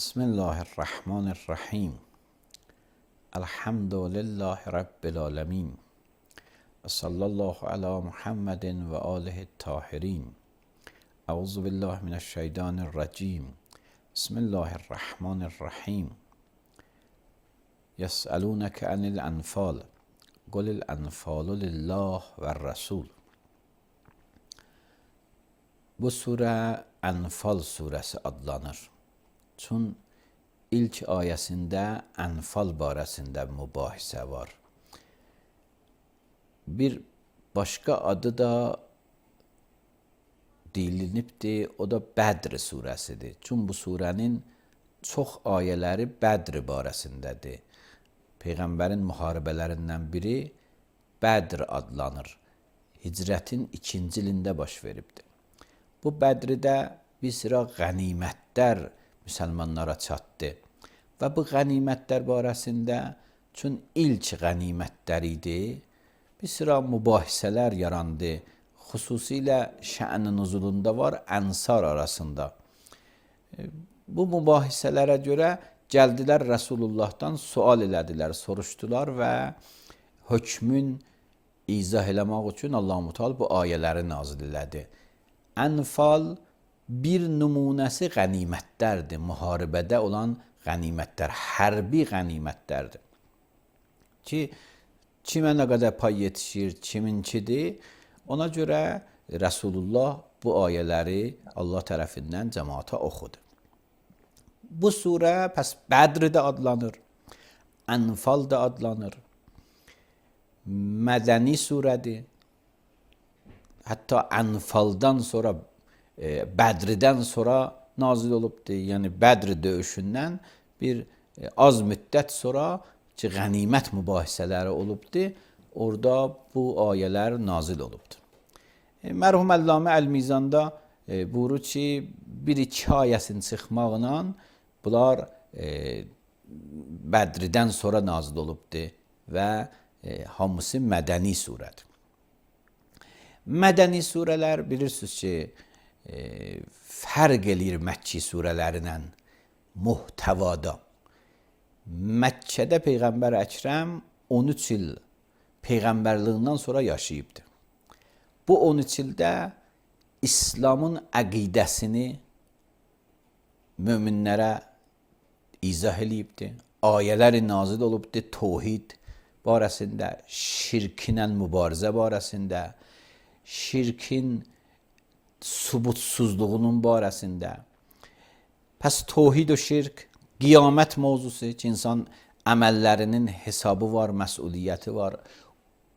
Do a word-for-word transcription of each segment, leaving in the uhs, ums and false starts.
Bismillahirrahmanirrahim. Elhamdülillahi Rabbil alemin. Ve sallallahu ala Muhammedin ve alihi tahirin. Euzu billahi mineşşeytanirracim. Bismillahirrahmanirrahim. Yes'elûneke anil enfal. Kulil enfalu lillah ve rasul. Bu sure Enfal suresi adlanır. Çün ilk ayəsində Enfal barəsində mübahisə var. Bir başqa adı da deyilinibdir, o da Bədr surəsidir. Çün bu surənin çox ayələri Bədr barəsindədir. Peyğəmbərin müharibələrindən biri Bədr adlanır. Hicrətin ikinci ilində baş veribdir. Bu Bədrdə bir sıra qənimətlər müsəlmanlara çatdı. Və bu qənimətlər barəsində, çün ilk qənimətlər idi, bir sıra mübahisələr yarandı. Xüsusilə şə'n-i nuzulunda var ənsar arasında. Bu mübahisələrə görə gəldilər Rəsulullahdan sual elədilər, soruşdular və hökmün izah eləmək üçün Allah-u Teala bu ayələri nazil elədi. Enfal bir nümunəsi qənimətlərdir, müharibədə olan qənimətlər, hərbi qənimətlərdir. Ki, kimə nə qədər pay yetişir, kiminkidir, ona görə Rəsulullah bu ayələri Allah tərəfindən cəmaata oxudu. Bu surə pəs Bədr də adlanır, Enfal da adlanır, mədəni surədir. Hətta Enfaldan sonra, e, Bədrdən sonra nazil olubdur. Yəni Bədr döyüşündən bir e, az müddət sonra ki, qənimət mübahisələri olubdur. Orada bu ayələr nazil olubdur. E, mərhum Əllamə Əl-Mizanda e, buyurur ki, bir-iki ayəsinin çıxmaqla bunlar e, Bədrdən sonra nazil olubdur və e, hamısı mədəni surədir. Mədəni surələr bilirsiniz ki, e, fərq eləyir Məkki surələrindən muhtəvada. Məkkədə Peyğəmbər Əkrəm on üç il Peyğəmbərliyindən sonra yaşayıbdır. Bu on üç ildə İslamın əqidəsini möminlərə izah eləyibdir. Ayələri nazil olubdur təvhid barəsində, şirkinlə mübarizə barəsində, şirkin subutsuzluğunun barəsində. Pəs təvhid o şirk, qiyamət mövzusu ki, insan əməllərinin hesabı var, məsuliyyəti var.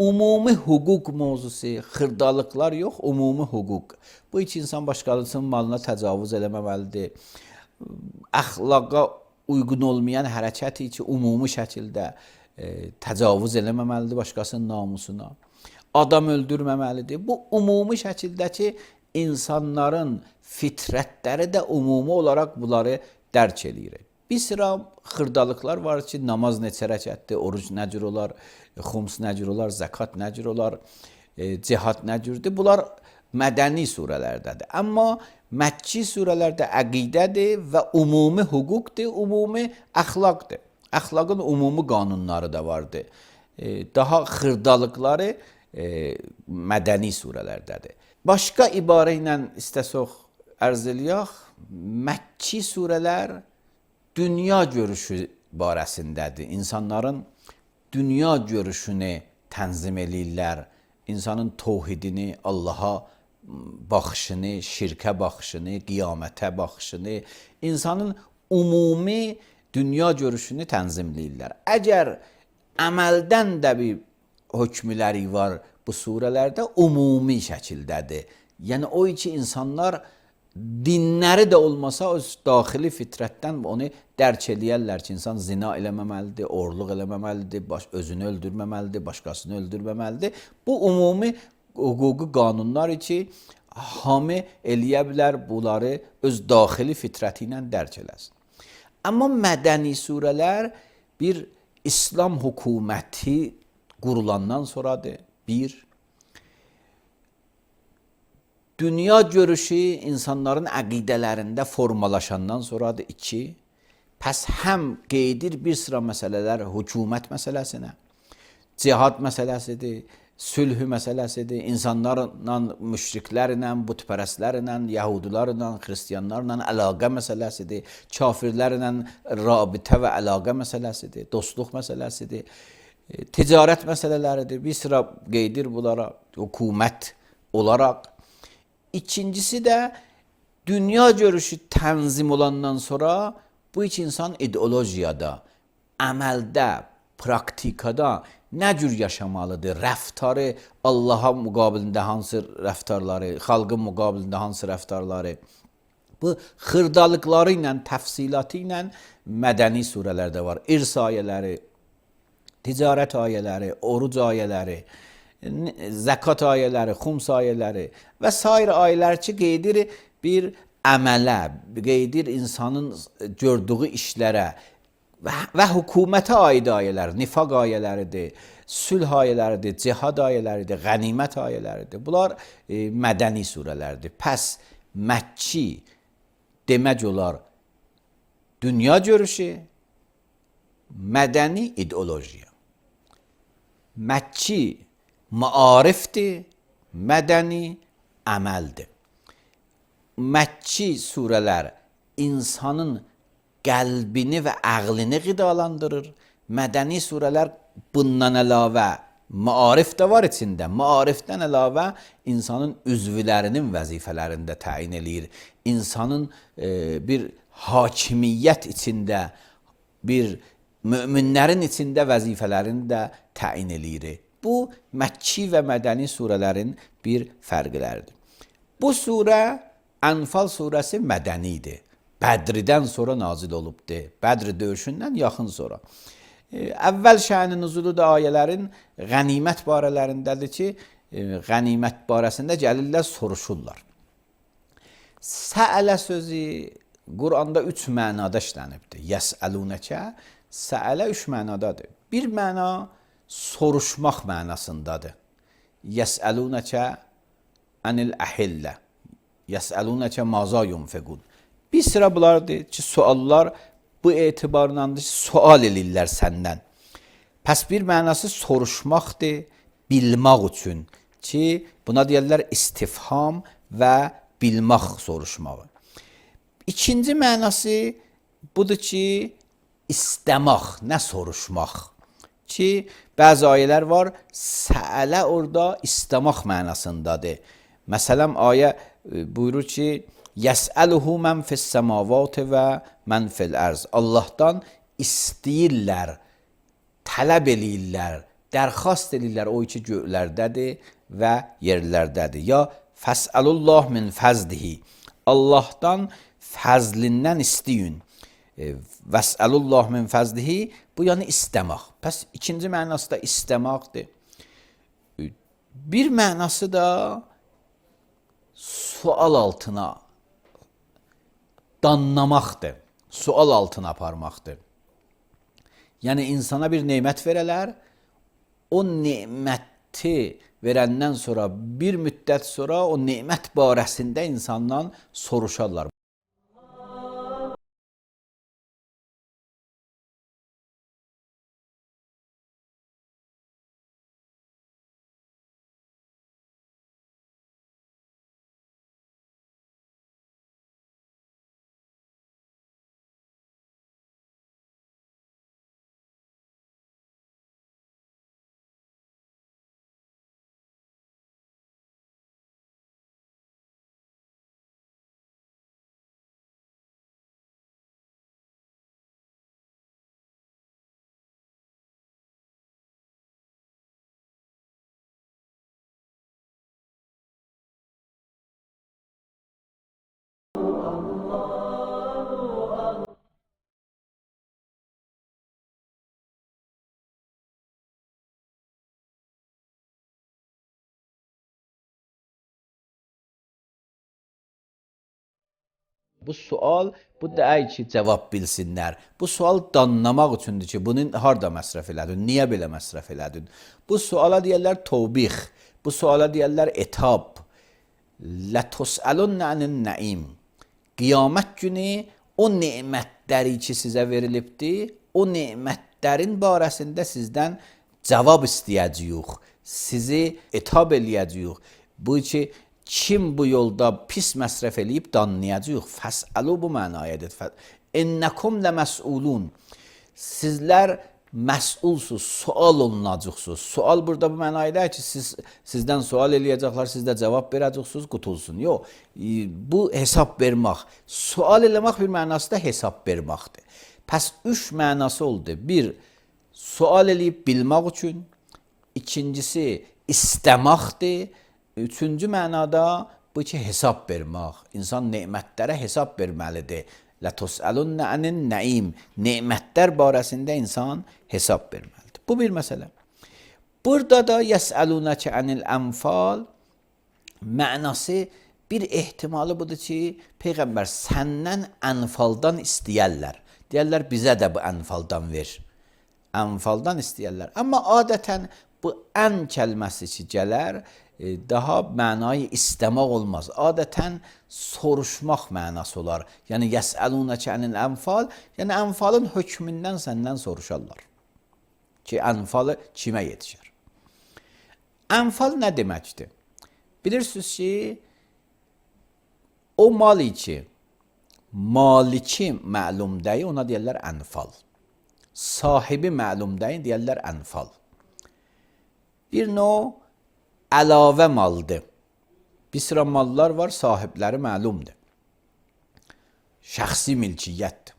Ümumi hüquq mövzusu, xırdalıqlar yox, ümumi hüquq. Bu iki insan başqasının malına təcavüz eləməməlidir. Əxlaqa uyğun olmayan hərəkəti ki, ümumi şəkildə e, təcavüz eləməməlidir başqasının namusuna. Adam öldürməməlidir. Bu ümumi şəkildəki insanların fitrətləri də ümumi olaraq bunları dərk eləyir. Bir sıra xırdalıqlar var ki, namaz neçə rəkətdir, oruc nə cür olar, xums nə cür olar, zəkat nə cür olar, e, cihad nə cürdür. Bunlar mədəni surələrdədir. Amma Məkki surələrdə əqidədir və ümumi hüquqdur, ümumi əxlaqdır. Əxlaqın ümumi qanunları da vardır. E, daha xırdalıqları e, mədəni surələrdədir. Başqa ibarə ilə istəsək ərz eləyək, Məkki surələr dünya görüşü barəsindədir. İnsanların dünya görüşünü tənzim eləyirlər. İnsanın təvhidini, Allaha baxışını, şirkə baxışını, qiyamətə baxışını, insanın ümumi dünya görüşünü tənzimləyirlər. Əgər əməldən də bir hökmləri var bu surələrdə, ümumi şəkildədir. Yəni o iki insanlar dinləri də olmasa öz daxili fitrətdən onu dərk eləyərlər ki, insan zina eləməməlidir, oğurluq eləməməlidir, baş, özünü öldürməməlidir, başqasını öldürməməlidir. Bu ümumi hüquqi qanunlar ki, hamı eləyə bilər, bunları öz daxili fitrəti ilə dərk eləsin. Amma mədəni surələr bir İslam hökuməti qurulandan sonradır. Bir, dünya görüşü insanların əqidələrində formalaşandan sonradır. İki, Pəs həm qeyd edir bir sıra məsələlər hökumət məsələsinə, cihad məsələsidir, sülhü məsələsidir, insanlarla, müşriklərlə, bütpərəstlərlə, yəhudilərlə, xristianlarla əlaqə məsələsidir, kafirlərlə rabitə və əlaqə məsələsidir, dostluq məsələsidir, ticarət məsələləridir. Bir sıra qeyd edir bunlara hökumət olaraq. İkincisi də dünya görüşü tənzim olandan sonra bu üç insan ideologiyada, əməldə, praktikada nə cür yaşamalıdır? Rəftarı Allaha müqabilində hansı rəftarları, xalqın müqabilində hansı rəftarları? Bu xırdalıqları ilə, təfsilatı ilə mədəni surələrdə var. İrs ayələri, ticarət ayələri, oruc ayələri, zəkat ayələri, xums ayələri və sair ayələr ki, qeyd edir bir əmələ, qeyd edir insanın gördüyü işlərə və, və hökumətə aid ayələr, nifaq ayələridir, sülh ayələridir, cihad ayələridir, qənimət ayələridir. Bunlar e, mədəni surələrdir. Pəs Məkki demək olar dünya görüşü, mədəni ideologiya. Məkki maarifdir, mədəni əməldir. Məkki surələr insanın qəlbini və əqlini qidalandırır. Mədəni surələr bundan əlavə maarif də var içində. Maarifdən əlavə insanın üzvlərinin vəzifələrini də təyin eləyir. İnsanın e, bir hakimiyyət içində, bir möminlərin içində vəzifələrini də təyin eləyir. Bu, Məkki və mədəni surələrin bir fərqləridir. Bu surə Ənfal surəsi mədənidir. Bədridən sonra nazil olubdur. Bədr döyüşündən yaxın sonra. Əvvəl şə'n-i nüzulu da ayələrin qənimət barələrindədir ki, qənimət barəsində gəlirlər, soruşurlar. Səələ sözü Quranda üç mənada işlənibdir. Yəsəlunəkə, səələ üç mənadadır. Bir məna soruşmaq mənasındadır. Yəsəlunəkə ənil əhillə. Yəsəlunəkə maza yunfiqun. Bir sıra bunlardır ki, suallar bu etibarlandır ki, sual elirlər səndən. Pəs bir mənası soruşmaqdır, bilmək üçün ki, buna deyirlər istifham və bilmək soruşmağı. İkinci mənası budur ki, istəmək, nə soruşmaq. Ki, bəzi ayələr var, səələ orada istəmək mənasındadır. Məsələn, ayə buyurur ki, yəsəluhu mən fis-səmavat və mən fil-ərz. Allahdan istəyirlər, tələb eləyirlər, dərxast eləyirlər o ki, göylərdədir və yerlərdədir. Ya fəsəlullah min fəzlihi. Allahdan fəzlindən istəyin. Vəsəlullah min fəzlihi, bu yəni istəmək. Pəs ikinci mənası da istəməkdir. Bir mənası da sual altına danlamaqdır, sual altına aparmaqdır. Yəni insana bir nemət verələr, o neməti verəndən sonra bir müddət sonra o nemət barəsində insandan soruşarlar. Bu sual, bu deyil ki, cavab bilsinlər. Bu sual danlamaq üçündür ki, bunu harda məsrəf elədin, niyə belə məsrəf elədin? Bu suala deyərlər tövbix, bu suala deyərlər etab. Lətusəlun nənin nəim. Qiyamət günü o nemətləri ki sizə verilibdir, o nemətlərin barəsində sizdən cavab istəyəcəyik, sizi etab eləyəcəyik. Bu ki, kim bu yolda pis məsrəf eləyib danlayacaq. Fəsəlu bu mənayədir. İnnəkum ləməsulun. Sizlər məsulsuz, sual olunacaqsınız. Sual burada bu mənayədir ki, siz, sizdən sual eləyəcəklər, siz də cavab verəcəksiniz, qutulsun. Yox, bu hesab vermək. Sual eləmək bir mənası da hesab verməkdir. Pəs üç mənası oldu. Bir, sual eləyib bilmək üçün. İkincisi, istəməkdir. Üçüncü mənada bu ki, hesab vermək. İnsan nemətlərə hesab verməlidir. Lətusəlunə ənin nəim. Nemətlər barəsində insan hesab verməlidir. Bu bir məsələ. Burada da yəsəlunəkə ənil ənfal mənası bir ehtimalı budur ki, Peyğəmbər səndən ənfaldan istəyərlər. Deyərlər, bizə də bu ənfaldan ver. Ənfaldan istəyərlər. Amma adətən bu ən kəlməsi ki, gələr, daha mənayı istəmək olmaz. Adətən soruşmaq mənası olar. Yəni, yəsəlunəkə ənil ənfal, yəni ənfalın hökmündən səndən soruşarlar. Ki, ənfalı kimə yetişər? Ənfal nə deməkdir? Bilirsiniz ki, o mali ki, maliki məlum deyil, ona deyərlər ənfal. Sahibi məlum deyil, deyərlər ənfal. Bir növ əlavə maldır. Bir sıra mallar var, sahibləri məlumdur. Şəxsi milkiyyətdir.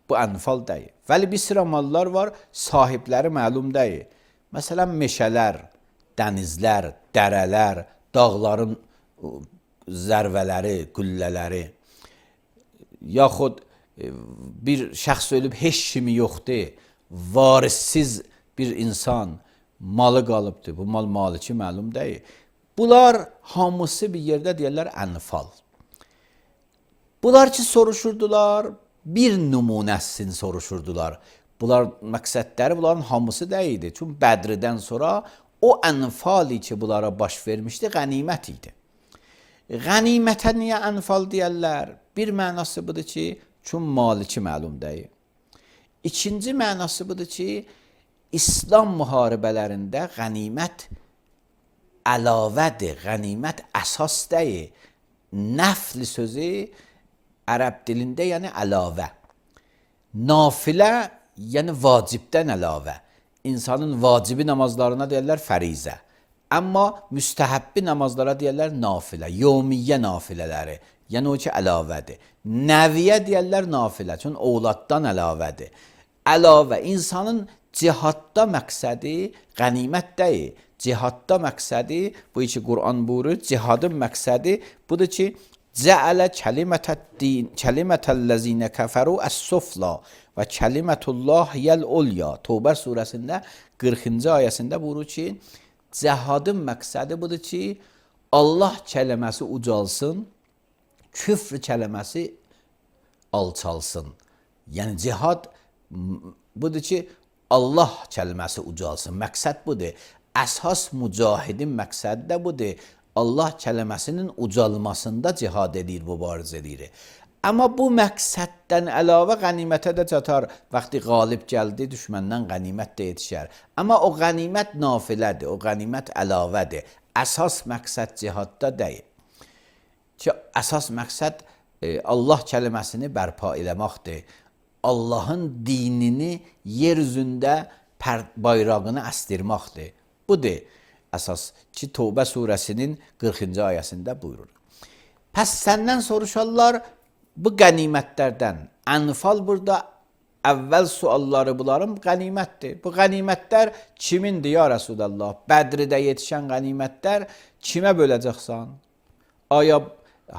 Bu ənfal deyil. Vəli bir sıra mallar var, sahibləri məlum deyil. Məsələn, meşələr, dənizlər, dərələr, dağların zərvələri, qüllələri, yaxud bir şəxs ölüb heç kimi yoxdur, varissiz bir insan malı qalıbdır, bu mal maliki məlum deyil. Bunlar hamısı bir yerdə deyərlər ənfal. Bunlar ki soruşurdular, bir nümunəsini soruşurdular. Bunlar məqsədləri bunların hamısı deyildi. Çünki Bədridən sonra o ənfali ki bunlara baş vermişdi, qənimət idi. Qənimətə niyə ənfal deyərlər? Bir mənası budur ki, çünki maliki məlum deyil. İkinci mənası budur ki, İslam müharibələrində qənimət əlavədir, qənimət əsas deyil. Nəfl sözü ərəb dilində yəni əlavə. Nafilə yəni vacibdən əlavə. İnsanın vacibi namazlarına deyərlər fərizə. Amma müstəhəbbi namazlara deyərlər nafilə, yevmiyyə nafilələri. Yəni o ki əlavədir. Nəviyə deyərlər nafilə, çünki ovladdan əlavədir. Əlavə, insanın cihadda məqsədi qənimət deyil. Cihadda məqsədi, bu iki Qur'an buyurur, cihadın məqsədi budur ki, Cəələ kəlimətəl-ləzinə kəfəru əs-sufla və kəlimətullah yəl-ulya. Tövbə surəsində qırxıncı ayəsində buyurur ki, cihadın məqsədi budur ki, Allah kələməsi ucalsın, küfr kələməsi alçalsın. Yəni cihad budur ki, Allah kəlməsi ucalsın. Məqsəd budur. Əsas mücahidin məqsədi də budur. Allah kələməsinin ucalmasında cihad edir, mübarizə edir. Amma bu məqsəddən əlavə qənimətə də çatar. Vaxtı qalib gəldi, düşməndən qənimət də yetişər. Amma o qənimət nafilədir, o qənimət əlavədir. Əsas məqsəd cihadda deyil. Ki, əsas məqsəd Allah kəlməsini bərpa eləməkdir. Allahın dinini yer üzündə bayrağını əstirməkdir. Budur əsas ki, Tövbə surəsinin qırxıncı ayəsində buyurur. Pəs səndən soruşarlar bu qənimətlərdən. Ənfal burada əvvəl sualları bunların qənimətdir. Bu qənimətlər kimindir ya Rəsuləllah? Bədridə yetişən qənimətlər kimə böləcəksən? Aya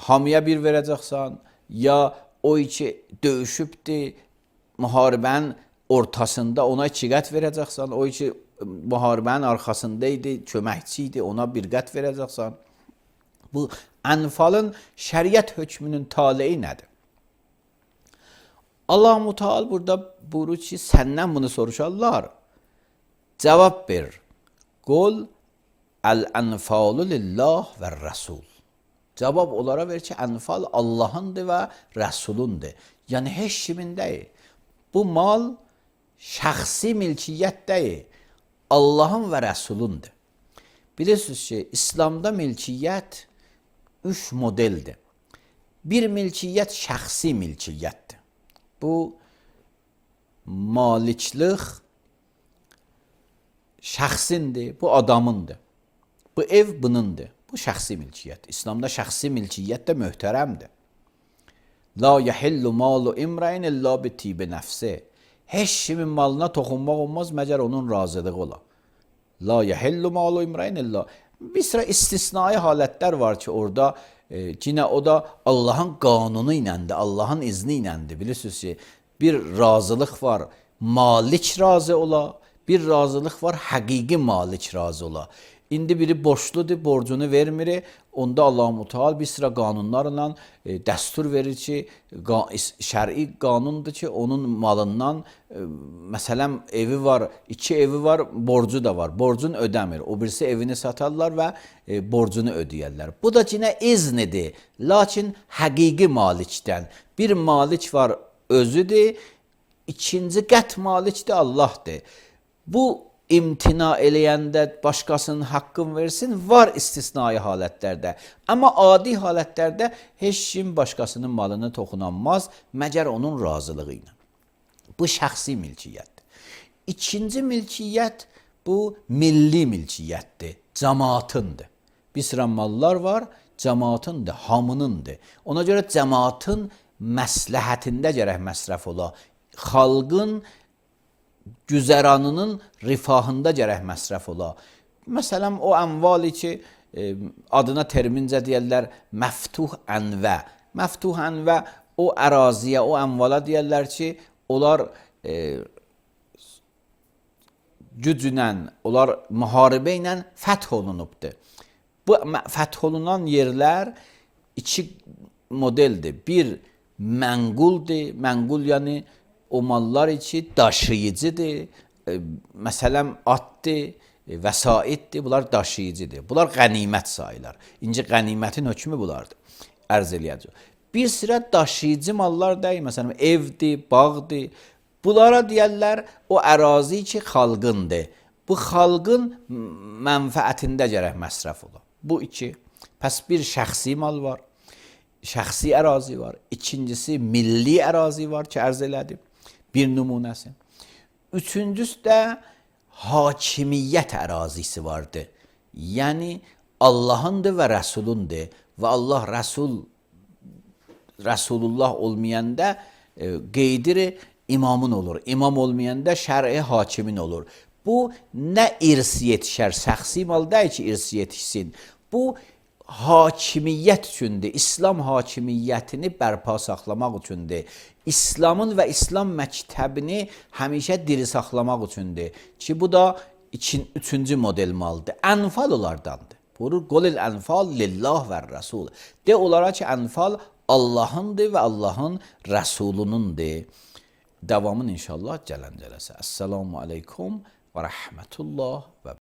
hamıya bir verəcəksən? Ya o iki döyüşübdir, müharibənin ortasında ona iki qət verəcəksən? O iki müharibənin arxasında idi, köməkçi idi, ona bir qət verəcəksən. Bu ənfalın şəriət hökmünün taleyi nədir? Allah-u Teala burada buyurur ki, səndən bunu soruşarlar. Cavab ver. Qul əl-ənfalu lillah və rəsul. Cavab onlara ver ki, Ənfal Allahındır və Rəsulundur. Yəni heç kimin deyil. Bu mal şəxsi milkiyyət deyil. Allahın və Rəsulundur. Bilirsiniz ki, İslamda milkiyyət üç modeldir. Bir milkiyyət şəxsi milkiyyətdir. Bu maliklik şəxsindir, bu adamındır. Bu ev bunundur. Bu şəxsi milkiyyət. İslamda şəxsi milkiyyət də möhtərəmdir. La yəhillu malu imrain illa bi tibi nəfsi. Heç kimin malına toxunmaq olmaz, məgər onun razılığı ola. La yəhillu malu imrain illa. Bir sıra istisnai halətlər var ki, orada e, yine o da Allahın qanunu iləndir, Allahın izni iləndir. Bilirsiniz ki, bir razılıq var, malik razı ola, bir razılıq var, həqiqi malik razı ola. İndi biri borçludur, borcunu vermir. Onda Allah-u Muteal bir sıra qanunlarla e, dəstur verir ki, şəri qanundur ki, onun malından, e, məsələn, evi var, iki evi var, borcu da var. Borcunu ödəmir. O birisi evini satarlar və e, borcunu ödəyərlər. Bu da yine iznidir. Lakin həqiqi malikdən. Bir malik var, özüdür. İkinci qət malikdir, Allahdır. Bu imtina eləyəndə başqasının haqqını versin, var istisnai halətlərdə. Amma adi halətlərdə heç kim başqasının malını toxunanmaz, məgər onun razılığı ilə. Bu şəxsi milkiyyətdir. İkinci milkiyyət bu milli milkiyyətdir, cəmaatındır. Bir sıra mallar var, cəmaatındır, hamınındır. Ona görə cəmaatın məsləhətində gərək məsrəf ola. Xalqın güzəranının rifahında gərək məsrəf ola. Məsələn, o əmvali ki, e, adına termincə deyərlər, məftuh ənvə. Məftuh ənvə o əraziyə, o əmvala deyərlər ki, onlar e, güclə, onlar müharibə ilə fəth olunubdur. Bu fəth olunan yerlər iki modeldir. Bir, mənquldur. Mənqul yəni o mallar içi daşıyıcıdır. E, məsələn, atdır, e, vəsaitdir, bunlar daşıyıcıdır. Bunlar qənimət sayılar. İnci qənimətin hökmü bunlardır. Ərz eləyəcək. Bir sıra daşıyıcı mallar deyil, məsələn, evdir, bağdır. Bunlara deyərlər, o ərazi ki, xalqındır. Bu xalqın mənfəətində gərək məsrəf ola. Bu iki. Pəs bir şəxsi mal var, şəxsi ərazi var. İkincisi, milli ərazi var ki, ərz elədim. Bir nümunəsi. Üçüncüsü də hakimiyyət ərazisi vardır. Yəni Allahındır və Rəsulundur. Və Allah Rəsul Rəsulullah olmayanda e, qeydiri imamın olur. İmam olmayanda şər'i hakimin olur. Bu nə irsi yetişər, şəxsi mal deyil ki, irsi yetişsin. Bu hakimiyyət üçündür. İslam hakimiyyətini bərpa saxlamaq üçündür. İslamın və İslam məktəbini həmişə diri saxlamaq üçündür. Ki bu da için, üçüncü model maldır. Ənfal onlardandır. Buyurur, qolil ənfal lillah və rəsul. De onlara ki, ənfal Allahındır və Allahın rəsulunundur. Davamın inşallah gələn cələsə. Əssalamu aleykum və rəhmətullah və